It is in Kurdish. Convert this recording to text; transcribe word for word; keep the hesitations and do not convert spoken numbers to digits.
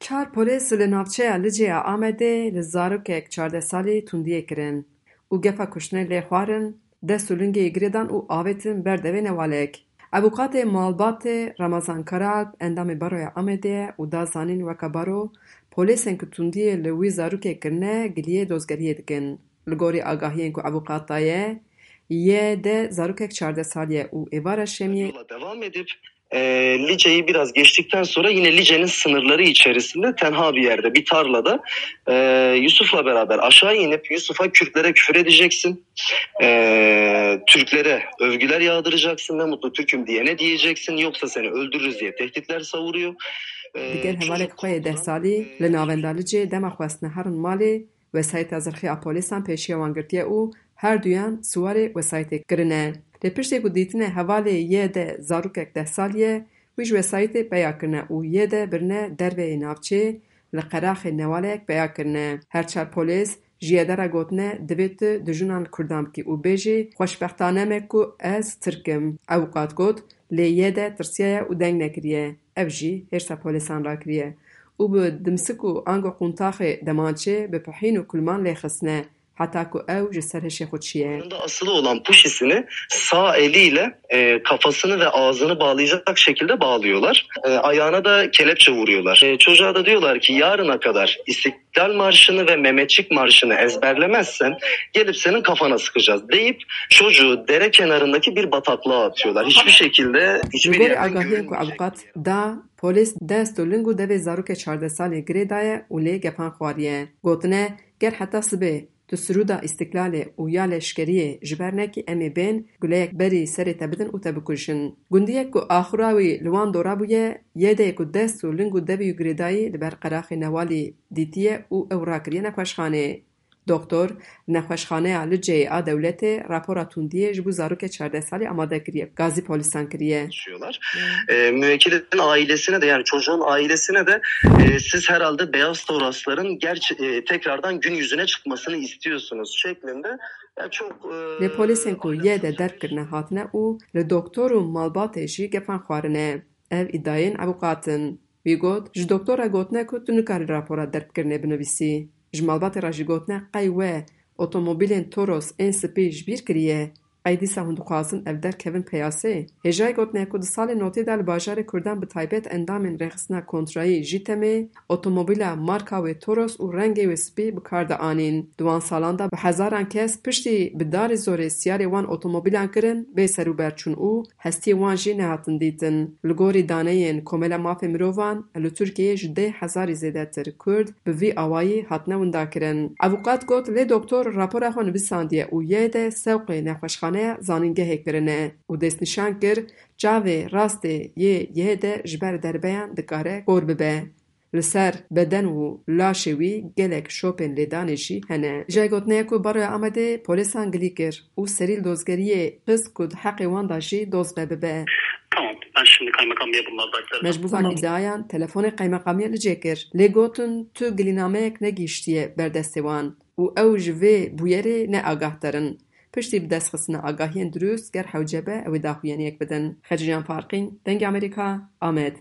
Çar polês li navçeya Licê ya Amedê li zarokek çardeh salî tundiyê kirin û gefa kuştinê lê xwarin, dest û lingê girêdan û avêtin ber devê newalek. Avûkatê malbatê Ramazan Karalp endamê Baroya Amedê ye û da zanîn weke baro, polêsên ku tundiyê li wî zarokê kirine giliyê dozgeriyê dikin. Li gorî agahiyên ku avûkat daye, Y D zarokek çardeh salî ye û êvara şemiyê Yola devam edip e, Lice'yi biraz geçtikten sonra yine Lice'nin sınırları içerisinde tenha bir yerde, bir tarlada e, Yusuf'la beraber aşağı inip Yusuf'a Kürtlere küfür edeceksin. E, Türklere övgüler yağdıracaksın. Ne mutlu Türk'üm diyene diyeceksin. Yoksa seni öldürürüz diye tehditler savuruyor. E, Digel hevalek çocuk xwe yê deh korkudan, salî e, li navenda Licê dema xwestine herin malê, wesayîta zirxî a polîsan pêşiya wan girtiye û her duyan siwarê wesayîtê kirine. Lê piştî ku dîtine hevalê Y D zarokek deh salî ye, wî ji wesayîtê peya kirine û Y D birine derve yê navçê, li qeraxê newaleyek peya kirine. Her çar polês ji Y D re gotine, divê tu dijûnan li Kurdan bikî û bêjî, xweşbextane me ku ez Tirk im. Avûkat got, lê Y D tirsiyaye û deng nekiriye. Ev jî hêrsa polêsan rakiriye û bi dimsik û ango quntaxê demançê bi pihîn û kulman lê xistine, heta ku ew ji ser hişê xwe çiye. Yanında asılı olan puşisini sağ eliyle e, kafasını ve ağzını bağlayacak şekilde bağlıyorlar. E, ayağına da kelepçe vuruyorlar. E, çocuğa da diyorlar ki yarına kadar İstiklal Marşı'nı ve Mehmetçik Marşı'nı ezberlemezsen gelip senin kafana sıkacağız deyip çocuğu dere kenarındaki bir bataklığa atıyorlar. Hiçbir şekilde hiçbir Li gorî yerden agahiyên ku görünmeyecek. Avûkat da, polês dest û ling û devê zarokê çardeh salî girê daye û lê gefan xwariye. Gotine, ger heta sibê tu sirûda Îstiklalê û ya leşkeriyê ji ber nekî, em ê bên guleyek berî serê te bidin û te bikujin. Gundiyek ku axura wî li wan dora bûye, Y D ku dest û ling û devî wî girêdayî li ber qeraxê newalî dîtiye û ew rakiriye nexweşxanê. Doktor, nexweşxaneya Liceyê a dewletê rapora tundiyê ji bo zarokê çardeh salî amade kiriye, gazî polîsan kiriye. Yaşıyorlar. E, müvekkilin ailesine de, yani çocuğun ailesine de e, siz herhalde beyaz torasların gerçi, e, tekrardan gün yüzüne çıkmasını istiyorsunuz şeklinde. Ya çok e, Lê polîsên ku Y D derb kirine hatine û li doktor û malbatê jî gefan xwarine. Ev îdayên avûkat in. Wî got, ji doktor re gotine ku tu nikarî rapora derbkirinê binivîsî. Ji malbatê re jî gotine, qey we otomobîlên Toros ên spî ji bîr kiriye? Qey dîsa hûn dixwazin ev derkevin peyasê? Hêjayî gotine ku di salên notê de li bajarê Kurdan, bi taybet endamên rêxistina kontrayî JÎTEMê, otomobîla marka wê Toros û rengê wê spî bi kar dianîn. Di wan salan de bi hezaran kes piştî bi darê zorê siyarê wan otomobîlan kirin bê serûber çûn û hestiyê wan jî nehatin dîtin. Li gorî daneyên Komela Mafê Mirovan, li Tirkiyeyê ji deh hezarî zêdetir Kurd bi vî awayî hatine windakirin. Avûkat got, lê doktor rapora xwe nivîsandiye û Y D sewqê nexweşxaneya zanîngehê kirine û destnîşan kir, çavê rastê yê Y D ji ber derbeyan dikare kor bibe. Li ser beden û laşê wî gelek şopên lêdanê jî hene. Ji gotinê ku Baroya Amedê polîsan gilî kir û serî li dozgeriyê xist ku di heqê wan de jî dozge bibe. Tamam, ben şimdi kaymakamlığa bunları da aktaracağım. Me ji bo van îdiayan telefonê qeymeqamiya Licê kir. Lê gotin tu gilînameyek negihiştiye ber destê wan û ew ji vê bûyerê ne agahter in. Piştî bi destxistina agahiyên dirust, ger hewce be, ew ê daxuyaniyek bidin. Xecîcan Farqîn, Dengê Amerîka, Amed.